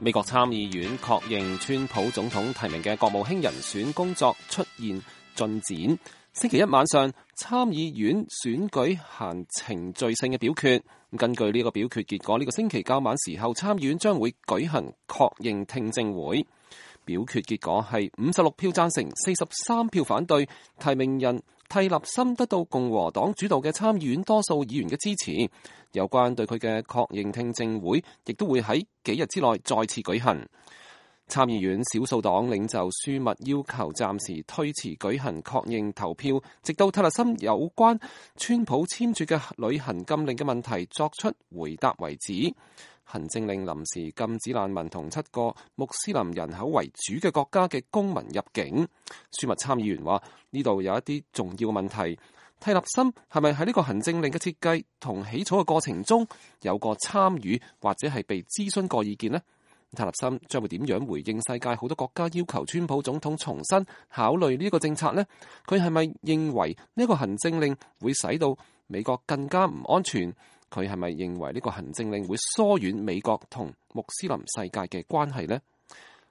美國參議院確認川普總統提名嘅國務卿人選工作出現進展。星期一晚上，參議院選舉行程序性嘅表決。根據呢個表決結果，呢個星期較晚時候，參議院將會舉行確認聽證會。表決結果係56票贊成，43票反對，提名人蒂勒森得到共和黨主導嘅參議院多數議員嘅支持。有關對佢嘅確認聽證會，亦都會喺幾日之內再次舉行。參議院少數黨領袖舒密要求暫時推遲舉行確認投票，直到蒂勒森有關川普簽署嘅旅行禁令嘅問題作出回答為止。行政令臨時禁止難民同7個穆斯林人口為主嘅國家嘅公民入境。舒密參議員話：呢度有一啲重要嘅問題。蒂勒森係咪喺呢個行政令嘅設計同起草嘅過程中有過參與或者係被諮詢過意見呢？蒂勒森將會點樣回應世界好多國家要求川普總統重新考慮呢個政策呢？佢係咪認為呢個行政令會使到美國更加唔安全？佢係咪認為呢個行政令會疏遠美國同穆斯林世界嘅關係呢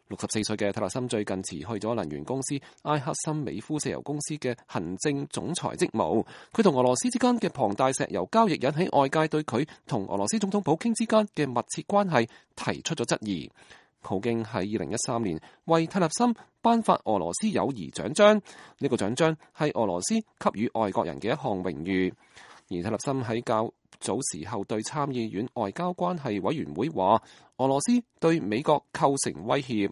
？64歲嘅蒂勒森最近辭去咗能源公司埃克森美孚石油公司嘅行政總裁職務。佢同俄羅斯之間嘅龐大石油交易引起外界對佢同俄羅斯總統普京之間嘅密切關係提出咗質疑。普京喺2013年為蒂勒森頒發俄羅斯友誼獎章，呢個獎章係俄羅斯給予外國人嘅一項榮譽。而蒂勒森喺較早時候對參議院外交關係委員會話，俄羅斯對美國構成威脅。